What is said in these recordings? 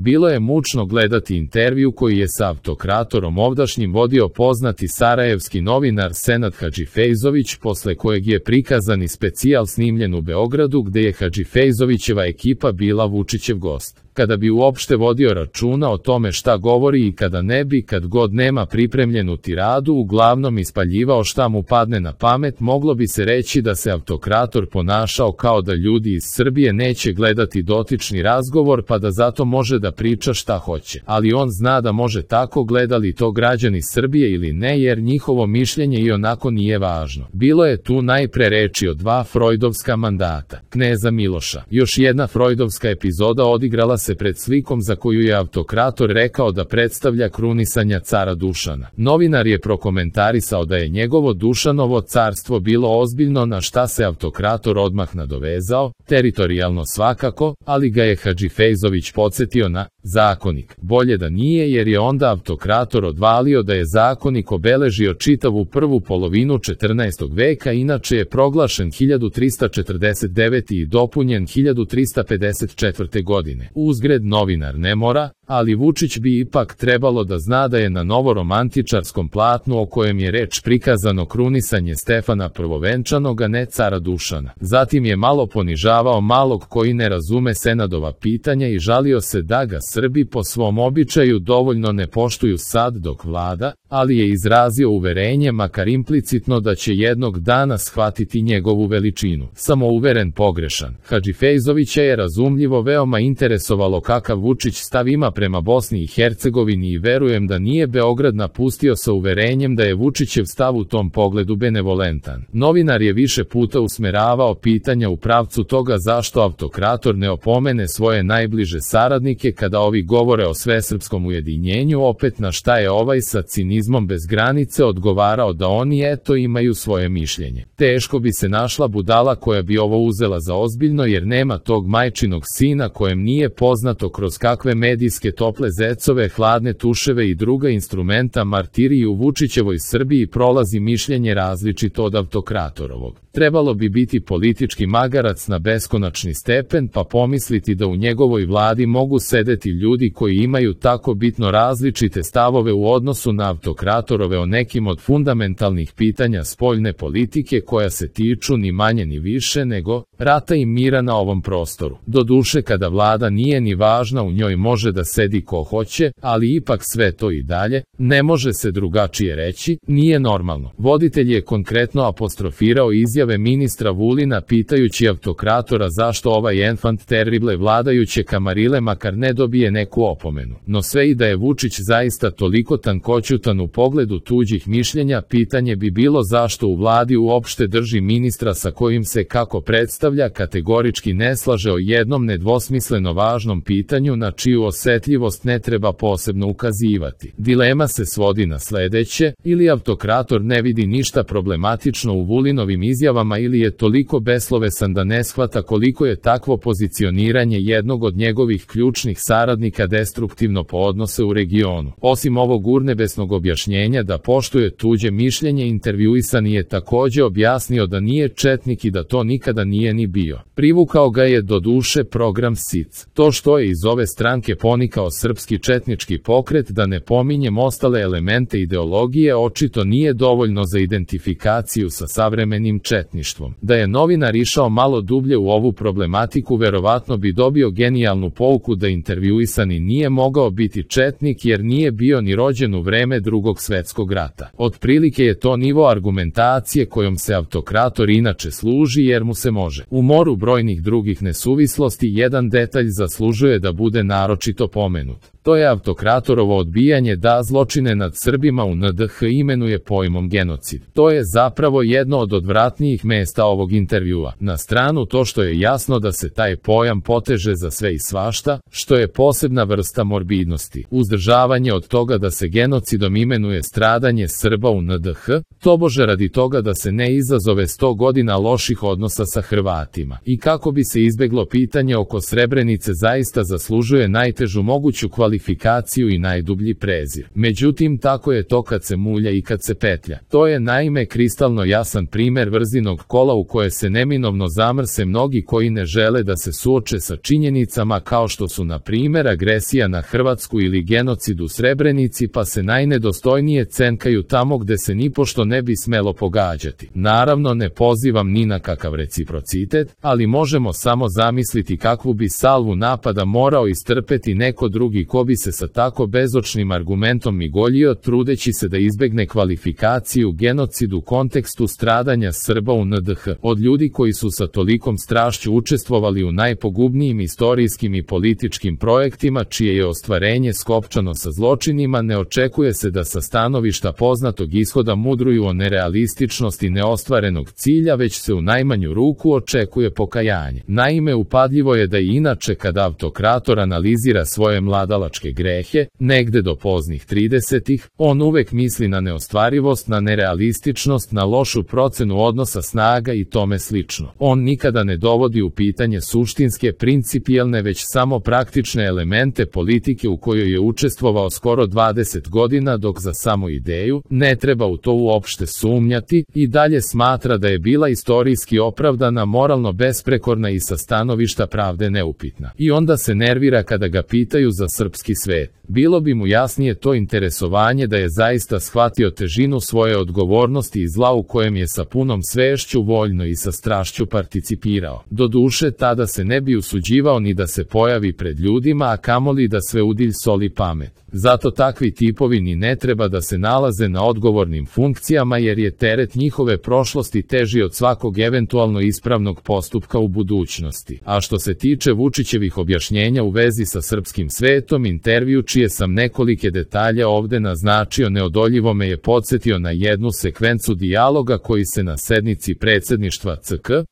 Bilo je mučno gledati intervju koji je sa Autokratorom ovdašnjim vodio poznati sarajevski novinar Senad Hadžifejzović, posle kojeg je prikazani specijal snimljen u Beogradu gde je Hadžifejzovićeva ekipa bila Vučićev gost. Kada bi uopšte vodio računa o tome šta govori i kada ne bi, kad god nema pripremljenu tiradu, uglavnom ispaljivao šta mu padne na pamet, moglo bi se reći da se Autokrator ponašao kao da ljudi iz Srbije neće gledati dotični razgovor pa da zato može da priča šta hoće. Ali on zna da može tako, gledali to građani Srbije ili ne, jer njihovo mišljenje i onako nije važno. Bilo je tu najpre reči o 2 Frojdovska mandata kneza Miloša. Još jedna Frojdovska epizoda odigrala se pred slikom za koju je Autokrator rekao da predstavlja krunisanja cara Dušana. Novinar je prokomentarisao da je njegovo Dušanovo carstvo bilo ozbiljno, na šta se Autokrator odmah nadovezao, teritorijalno svakako, ali ga je Hadžifejzović podsjetio na Zakonik. Bolje da nije, jer je onda Autokrator odvalio da je Zakonik obeležio čitavu prvu polovinu 14. veka, inače je proglašen 1349. i dopunjen 1354. godine. Uzgred, novinar ne mora, ali Vučić bi ipak trebalo da zna da je na novoromantičarskom platnu o kojem je reč prikazano krunisanje Stefana Prvovenčanog, a ne cara Dušana. Zatim je malo ponižavao malog koji ne razume Senadova pitanja i žalio se da ga Srbi po svom običaju dovoljno ne poštuju sad dok vlada, ali je izrazio uverenje, makar implicitno, da će jednog dana shvatiti njegovu veličinu. Samouveren pogrešan. Hadžifejzovića je razumljivo veoma interesovalo kakav Vučić stav ima prema Bosni i Hercegovini i verujem da nije Beograd napustio sa uverenjem da je Vučićev stav u tom pogledu benevolentan. Novinar je više puta usmeravao pitanja u pravcu toga zašto Autokrator ne opomene svoje najbliže saradnike kada ovi govore o svesrpskom ujedinjenju, opet na šta je ovaj sa cinizmom bez granice odgovarao da oni eto imaju svoje mišljenje. Teško bi se našla budala koja bi ovo uzela za ozbiljno, jer nema tog majčinog sina kojem nije poznato kroz kakve medijske tople zecove, hladne tuševe i druga instrumenta martiriji u Vučićevoj Srbiji prolazi mišljenje različito od Autokratorovog. Trebalo bi biti politički magarac na beskonačni stepen pa pomisliti da u njegovoj vladi mogu sedeti ljudi koji imaju tako bitno različite stavove u odnosu na Autokratorove o nekim od fundamentalnih pitanja spoljne politike koja se tiču ni manje ni više nego rata i mira na ovom prostoru. Doduše, kada vlada nije ni važna, u njoj može da sedi ko hoće, ali ipak sve to i dalje, ne može se drugačije reći, nije normalno. Voditelj je konkretno apostrofirao izjave ministra Vulina pitajući Autokratora zašto ovaj enfant terrible vladajuće kamarile makar ne dobije neku opomenu. No sve i da je Vučić zaista toliko tankoćutan u pogledu tuđih mišljenja, pitanje bi bilo zašto u vladi uopšte drži ministra sa kojim se, kako predstavlja, kategorički ne slaže o jednom nedvosmisleno važnom pitanju na čiju osetljivost ne treba posebno ukazivati. Dilema se svodi na sledeće: ili Autokrator ne vidi ništa problematično u Vulinovim izjavama ili je toliko beslovesan da ne shvata koliko je takvo pozicioniranje jednog od njegovih ključnih saradnika destruktivno po odnose u regionu. Osim ovog urnebesnog objašnjenja da poštuje tuđe mišljenje, intervjuisani je takođe objasnio da nije četnik i da to nikada nije ni bio. Privukao ga je do duše program SIC. To što je iz ove stranke ponikao srpski četnički pokret, da ne pominjem ostale elemente ideologije, očito nije dovoljno za identifikaciju sa savremenim četništvom. Da je novinar išao malo dublje u ovu problematiku, verovatno bi dobio genijalnu pouku da intervjuisani nije mogao biti četnik jer nije bio ni rođen u vreme Drugog svetskog rata. Otprilike je to nivo argumentacije kojom se Autokrator inače služi jer mu se može. U moru brojnih drugih nesuvislosti jedan detalj zaslužuje da bude naročito pomenut. To je Autokratorovo odbijanje da zločine nad Srbima u NDH imenuje pojmom genocid. To je zapravo jedno od odvratnijih mesta ovog intervjua. Na stranu to što je jasno da se taj pojam poteže za sve i svašta, što je posebna vrsta morbidnosti. Uzdržavanje od toga da se genocidom imenuje stradanje Srba u NDH, tobože radi toga da se ne izazove 100 godina loših odnosa sa Hrvatima. I kako bi se izbeglo pitanje oko Srebrenice, zaista zaslužuje najtežu moguću kvalifikaciju diskvalifikaciju i najdublji prezir. Međutim, tako je to kad se mulja i kad se petlja. To je naime kristalno jasan primer vrzinog kola u koje se neminovno zamrse mnogi koji ne žele da se suoče sa činjenicama kao što su na primjer agresija na Hrvatsku ili genocid u Srebrenici, pa se najnedostojnije cenkaju tamo gde se nipošto ne bi smelo pogađati. Naravno, ne pozivam ni na kakav reciprocitet, ali možemo samo zamisliti kakvu bi salvu napada morao istrpeti neko drugi ko bi se sa tako bezočnim argumentom migoljio, trudeći se da izbegne kvalifikaciju genocid u kontekstu stradanja Srba u NDH, od ljudi koji su sa tolikom strašću učestvovali u najpogubnijim istorijskim i političkim projektima čije je ostvarenje skopčano sa zločinima. Ne očekuje se da sa stanovišta poznatog ishoda mudruju o nerealističnosti neostvarenog cilja, već se u najmanju ruku očekuje pokajanje. Naime, upadljivo je da i inače kad autokrator analizira svoje mladalačke grehe, negde do poznih 30-ih, on uvek misli na neostvarivost, na nerealističnost, na lošu procenu odnosa snaga i tome slično. On nikada ne dovodi u pitanje suštinske, principijelne, već samo praktične elemente politike u kojoj je učestvovao skoro 20 godina, dok za samu ideju, ne treba u to uopšte sumnjati, i dalje smatra da je bila istorijski opravdana, moralno besprekorna i sa stanovišta pravde neupitna. I onda se nervira kada ga pitaju za srpski svet. Bilo bi mu jasnije to interesovanje da je zaista shvatio težinu svoje odgovornosti i zla u kojem je sa punom svešću, voljno i sa strašću participirao. Doduše, tada se ne bi usuđivao ni da se pojavi pred ljudima, a kamoli da sve udilj soli pamet. Zato takvi tipovi ni ne treba da se nalaze na odgovornim funkcijama, jer je teret njihove prošlosti teži od svakog eventualno ispravnog postupka u budućnosti. A što se tiče Vučićevih objašnjenja u vezi sa srpskim svetom, intervju čije sam nekolike detalje ovde naznačio neodoljivo me je podsjetio na jednu sekvencu dijaloga koji se na sednici predsedništva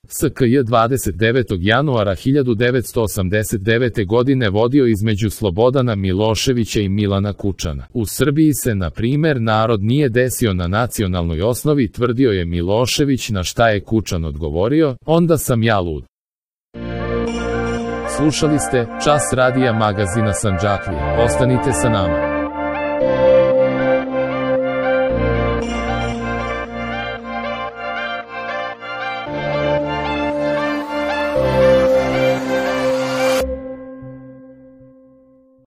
SKJ 29. januara 1989. godine vodio između Slobodana Miloševića i Milana Kučana. U Srbiji se, na primer, narod nije desio na nacionalnoj osnovi, tvrdio je Milošević, na šta je Kučan odgovorio: onda sam ja lud. Slušali ste Čas radija magazina Sandžaklija. Ostanite sa nama.